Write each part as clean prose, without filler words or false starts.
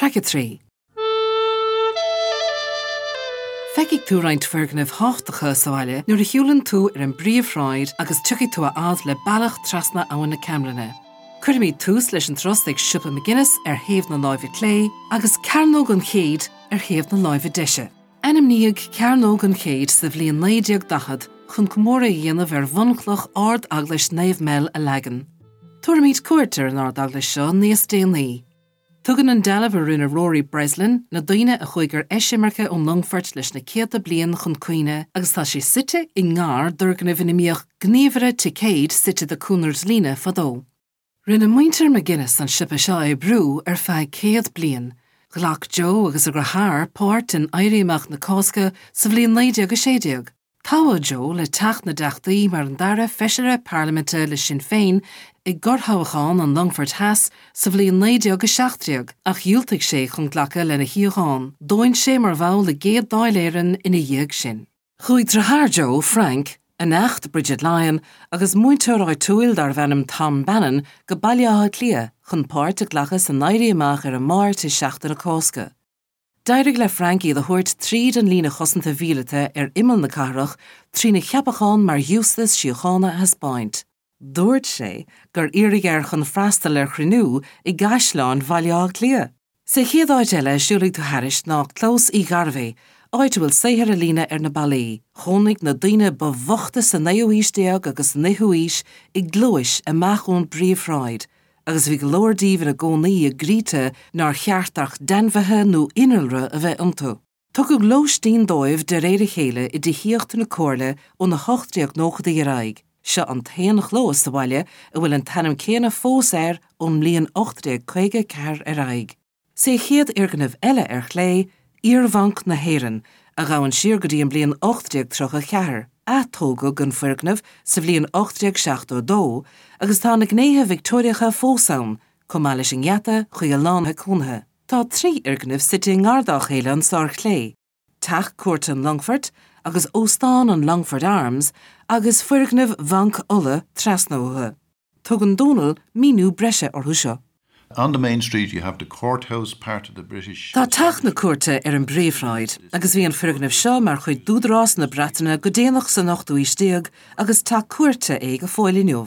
Traic 3. Feicfidh tú roinnt foirgnimh thábhachtacha sa bhaile nuair a shiúlann tú ar an bpríomhshráid agus tiocfaidh tú a fhad le bealach trasna Abhainn na Camlainne. Cuirfimid tús leis an turas ag Siopa McGuinness ar thaobh na láimhe clé agus Cearnóg an Chéid ar thaobh na láimhe deise. Ainmníodh Cearnóg an Chéid sa bhliain 1940 chun comóradh a dhéanamh ar bhunchloch Ard-Eaglais Naomh Mel a leagan. Tabharfaimid cuairt ar an Ard-Eaglais seo níos déanaí. Tugann an dealbh a rinne Rory Breslin na daoine a chuaigh ar eisimirce ón Longfort leis na céadta bliain chun cuimhne agus tá sé suite i ngar d'fhoirgneamh ina mbíodh gníomhaire ticéid suite do Cooner's Líne fadó. Rinne muintir McGuinness an siopa seo a oibriú ar feadh 100 bliain. Ghlac Joe agus a dheartháir páirt in Éirí Amach na Cásca sa bhliain 1916. Toghadh Joe le Teach na dTeachtaí mar an dara Feisire Parlaiminte le Sinn Féin i gcorrthoghchán an Longfoirt Theas sa bhliain 1917 ach dhiúltaigh sé chun glacadh lena shuíochán. D'fhóin sé mar bhall i gCéad Dáil Éireann ina dhiaidh sin. Chuaigh deartháir Joe, Frank, a neacht Bridget Lyon agus múinteoir áitiúil darbh ainm Tom Bannon go Baile Átha Cliath chun páirt a ghlacadh san Éirí Amach ar an Máirt i Seachtain na Cásca. D'éirigh le Frank iad a thabhairt tríd an líne chosanta mhíleata ar imeall na cathrach trína cheapachán mar ghiústas síochána a thaispeáint. Dúirt sé gur iarradh air chun freastal ar chruinniú i gCaisleán Bhaile Átha Cliath. Sa chéad áit eile a siúlfaidh tú thairis ná Clós Uí Ghairbhí, áit a bhfuil saothar ealaíne ar na ballaí. Chónaigh na daoine ba bhoichte sa naoú haois déag agus san fhichiú haois i gclóis amach ón bpríomhshráid, agus bhí go leor díobh ina gcónaí i gcroíte nár cheart ach d'ainmhithe nó innealra a bheith iontu. Tugadh lóistín dóibh de réir a chéile i dtithíocht na Comhairle ó na 1890idí ar aghaidh. Seo an t-aon chlós sa bhaile a bhfuil an t-ainm céanna fós air ón mbliain 1854 ar aghaidh. Sa chéad fhoirgneamh eile ar chlé, Iar-Bhanc na hÉireann, a ghabhann siar go dtí an bhliain 1834. Atógadh an foirgneamh sa bhliain 1872 agus tá na gnéithe Victeoiriacha fós ann, chomh maith leis an ngeata chuig an lána cónaithe. Tá 3 fhoirgneamh suite i ngar dá chéile anso ar chlé, Teach Cúirte an Longfoirt agus Óstán an Longfort Arms agus foirgneamh Bhanc Uladh trasna uathu. Tugann Dónal míniú breise orthu seo. On the main street you have the courthouse, part of the British. Tá Teach na Cúirte ar an bpríomhshráid agus bhí an foirgneamh seo mar chuid d'údarás na Breataine go déanach san ochtú haois déag agus teach cúirte é go fóill inniu.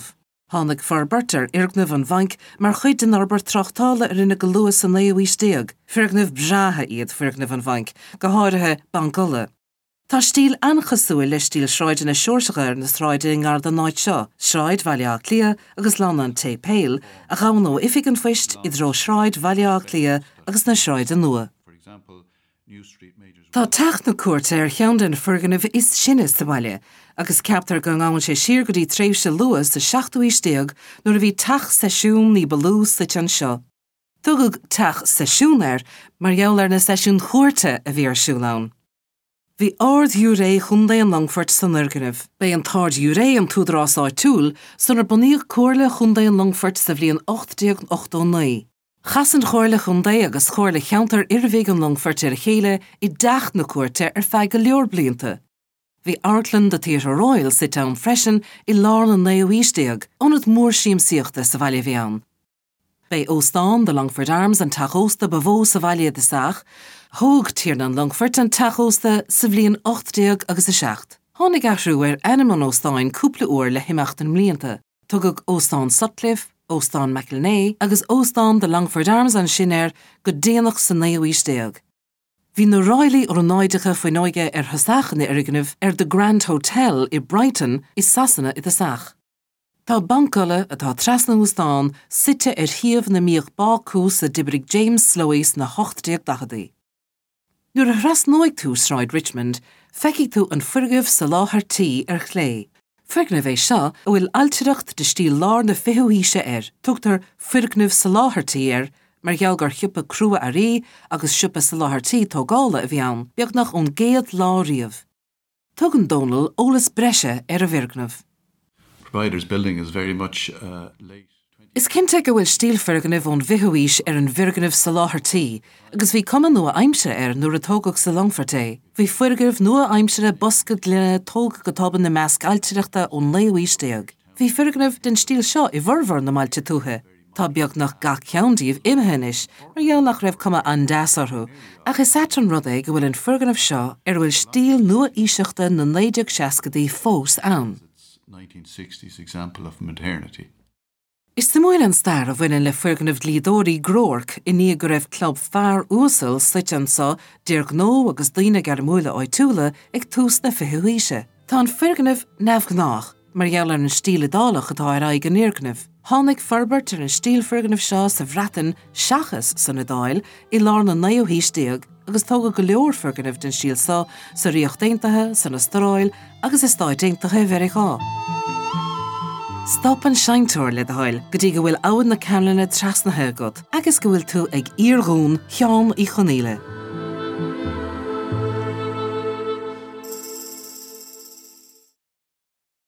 Tháinig forbairt ar fhoirgneamh an bhainc mar chuid den fhorbairt tráchtála a rinneadh go luath sa naoú haois déag. Foirgnimh breátha iad foirgnimh an bhainc, go háirithe Banc Uladh. Tá stíl an-chosúil le stíl sráideanna Seoirseacha ar na sráideanna i ngar don áit seo, Sráid Bhaile Átha Cliath agus Lána an tSéipéil, a ghabhann ó Oifig an Phoist i dtreo Shráid Bhaile Átha Cliath agus na Sráide Nua. Tá Teach na Cúirte ar cheann de na foirgnimh is sine sa bhaile agus ceaptar go ngabhann sé siar go dtí tréimhse luath sa seachtú haois déag nuair a bhí teach seisiún ní ba lú suite anseo. Tugadh Teach Seisiún air mar gheall ar na seisiúin chúirte a bhí ar siúl ann. Bhí Ard-Ghiúiré Chontae an Longfoirt san fhoirgneamh. B'é an tArd-Ghiúiré an t-údarás áitiúil sular bunaíodh Comhairle Chontae an Longfoirt sa bhliain 1889. Chas an Chomhairle Chontae agus Comhairle Cheantar Oirbhig an Longfoirt ar a chéile i dTeach na Cúirte ar feadh go leor blianta. Bhí Amharclann The Theatre Royal suite ann freisin i lár na naoú haois déag, ionad mór siamsaíochta sa bhaile a bhí ann. B'é Óstán The Longford Arms an teach ósta ba mhó sa bhaile i dtosach. Thóg Tiarna an Longfoirt an teach ósta sa bhliain 18 agus 7. Tháinig athrú ar ainm an óstáin cúpla uair le himeacht na mblianta. Tugadh Óstán Sutcliffe, Óstán McElnea agus Óstán The Longford Arms ansin air go déanach sa naoú haois déag. Bhí na ráillí ornáideacha fuinneoige ar thosach an fhoirgnimh ar The Grand Hotel i Brighton i Sasana i dtosach. Tá Banc Uladh, atá trasna ón óstán, suite ar shuíomh ina mbíodh bácús a d'oibrigh James Slowey sna 1840idí. Nuair a thrasnóidh tú Sráid Richmond, feicfidh tú an foirgneamh Soláthair Tí ar chlé. Foirgneamh é seo a bhfuil ailtireacht de stíl lár na fichiú haoise air. Tugtar Foirgneamh Soláthair Tí air mar gheall gur shiopa crua-earraí agus siopa soláthairtí tógála a bhí ann, beagnach ón gcéad lá riamh. Tugann Dónal eolas breise ar an bhfoirgneamh. Providers building is very much late. Is cinnte go bhfuil stíl foirgnimh ón bhfichiú haois ar an bhfoirgneamh Soláthair Tí agus bhí cuma nua-aimseartha air nuair a tógadh sa Longfort é. Bhí foirgnimh nua-aimseartha bosca gloine tógtha go tobann i measc ailtireachta ón naoú haois déag. Bhí foirgnimh den stíl seo i bhformhór na mbailte tuaithe. Tá beagnach gach ceann díobh imithe anois mar gheall nach raibh cuma an-deas orthu, ach is ait an rud é go bhfuil an foirgneamh seo ar a bhfuil stíl nua-aoiseachta na 1960idí fós ann. 1960s example of modernity. Is suimiúil an stair a bhaineann le foirgneamh dlíodóirí Groarke i ndiaidh go raibh club fear uasal suite anso d'fhir gnó agus daoine gairmiúla áitiúla ag tús na fichiú haoise. Tá an foirgneamh neamhghnách mar gheall ar an stíl Iodálach atá ar aghaidh an fhoirgnimh. Tháinig forbairt ar an stíl foirgnimh seo sa Bhreatain seachas san Iodáil i lár na naoú haois déag agus tógadh go leor foirgneamh den stíl seo sa Ríocht Aontaithe, san Astráil agus i Stáit Aontaithe Mheiriceá. Stop an seinnteoir, le do thoil, go dtí go bhfuil Abhainn na Camlainne trasnaithe agat agus go bhfuil tú ag iardhún Sheáin Uí Chonaola.